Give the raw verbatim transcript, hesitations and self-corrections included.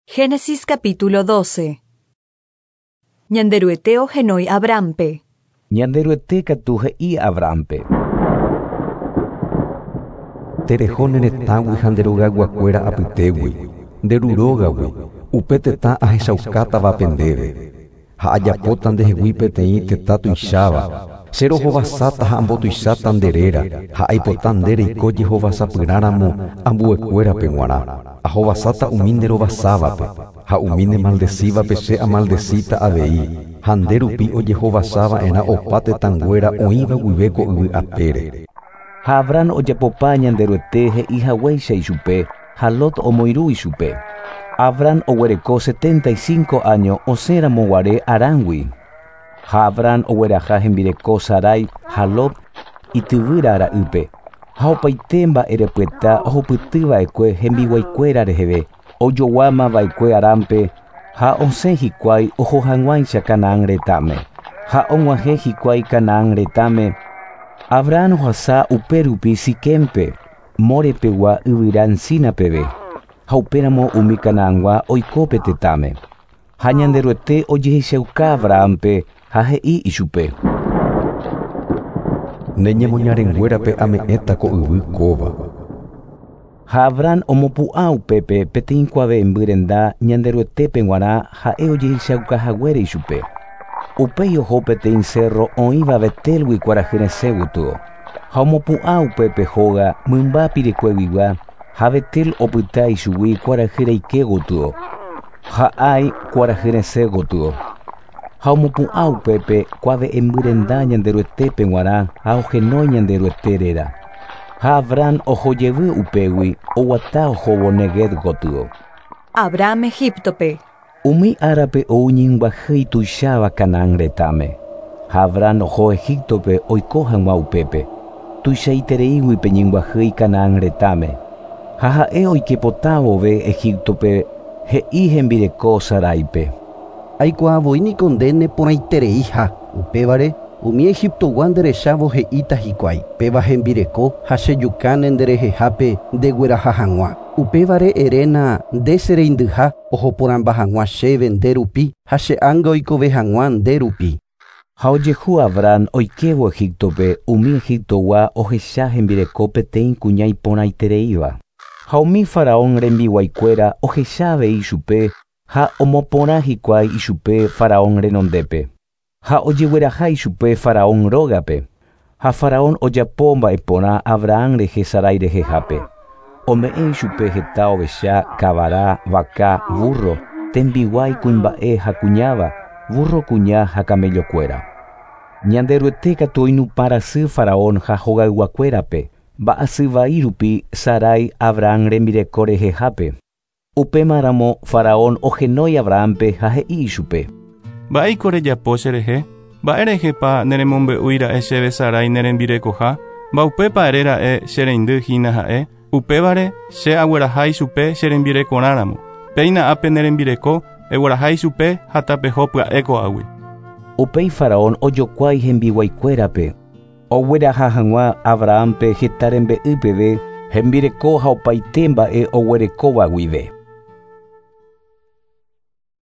Génesis capítulo doce. Ñanderuete ohenói Abrahampe. Ñanderuete katu he'i Abrahampe. Tereho ne retãgui ha nde rogayguakuéra apytégui, nde ru rógagui, upe tetã ahechaukátavape ndéve. Ha ajapóta ndehegui peteĩ tetã tuicháva, che rohovasáta ha ambotuicháta nde réra, ha aipota nde reiko jehovasapyrãramo ambuekuérape g̃uarã. Ahovasáta umi nde rovasávape, ha umi nemaldecívape che amaldecíta avei, ha nde rupi ojehovasava'erã opa tetãnguéra oĩva guive ko yvy apére. Ha Abraham ojapopa Ñanderuete he'i haguéicha ichupe, ha Lot omoirũ ichupe. Abraham oguereko setenta y cinco años osẽramo guare Harangui. Ha Abraham ogueraha hembireko Sarai ha Lot ityvýra ra'ýpe. Ha opaite mba'erepyeta ohupytyva'ekue hembiguaikuéra reheve, ojoguámava'ekue Harampe, ha osẽ hikuái oho hag̃uáicha Canaán retãme. Ha og̃uahẽ hikuái Canaán retãme, Abraham ohasa upérupi Siquempe, Morepegua yvyra encina peve, ha upéramo umi Canaangua oiko pe tetãme. Ha Ñanderuete ojehechauka Abrahampe ha he'i ichupe. Ne ñemoñarenguérape ame'ẽta ko yvy kóva. Ha Abraham omopu'ã upépe peteĩ kuave'ẽmby renda Ñanderuetépe g̃uarã ha'e ojehechaukahaguére ichupe. Upéi oho peteĩ cerro oĩva Betelgui kuarahy resẽ gotyo. Ha omopu'ã upépe hóga mymba pirekueguigua ha Betel opyta ichugui kuarahy reike gotyo. Ha Ai kuarahy resẽ gotyo. Ha omopu'ã upépe kuave'ẽmby renda Ñanderuetépe g̃uarã ha ohenói Ñanderuete réra. Ha Abraham ohojevy upégui oguata ohóvo Negev gotyo. Abraham Egiptope. Umi árape ou ñembyahýi tuicháva Canaán retãme. Ha Abraham oho Egiptope oiko hag̃ua upépe. Tuichaitereígui pe ñembyahýi Canaán retãme. Ha ha'e oikepota vove Egiptope he'i hembireko Saraipe. Aikuaavoi niko nde neporãitereiha, upévare umi Egiptogua nderechávo he'íta hikuái, péva hembireko ha chejukáne nderehehápe ndegueraha hag̃ua. Upévare eréna nde chereindyha ohoporãmba hag̃ua chéve nde rupi ha che ánga oikove hag̃ua nde rupi. Ha ojehu Abraham oikévo Egiptope umi Egiptogua ohecha hembireko peteĩ kuña iporãitereíva. Ha umi faraón rembiguaikuéra ohecha avei ichupe ha omoporã hikuái ichupe faraón renondépe. Ha ojegueraha ichupe faraón rógape. Ha faraón ojapo mba'eporã Abraham rehe Sarai rehehápe. Ome'ẽ ichupe heta ovecha, kavara, vaka, burro, tembiguái kuimba'e ha kuñáva, burro kuña ha camellokuéra. Ñanderuete katu oinupãrasy faraón ha hogayguakuérape, mba'asy vai rupi Sarai Abraham rembireko rehehápe. Upémaramo faraón ohenói Abrahampe ha he'i ichupe. Mba'éiko rejapo cherehe? Mba'érehepa neremombe'úira'e chéve Sarai nerembirekoha? Mba'upépa eréra'e chereindy hína ha'e? Upévare che agueraha ichupe cherembirekorãramo. Péina ápe nerembireko, egueraha ichupe ha tapeho pya'e ko'águi. Upéi faraón ojokuái hembiguaikuérape. Ogueraha hag̃ua Abrahampe heta rembe'y peve, hembireko ha opaite mba'e oguerekóva guive.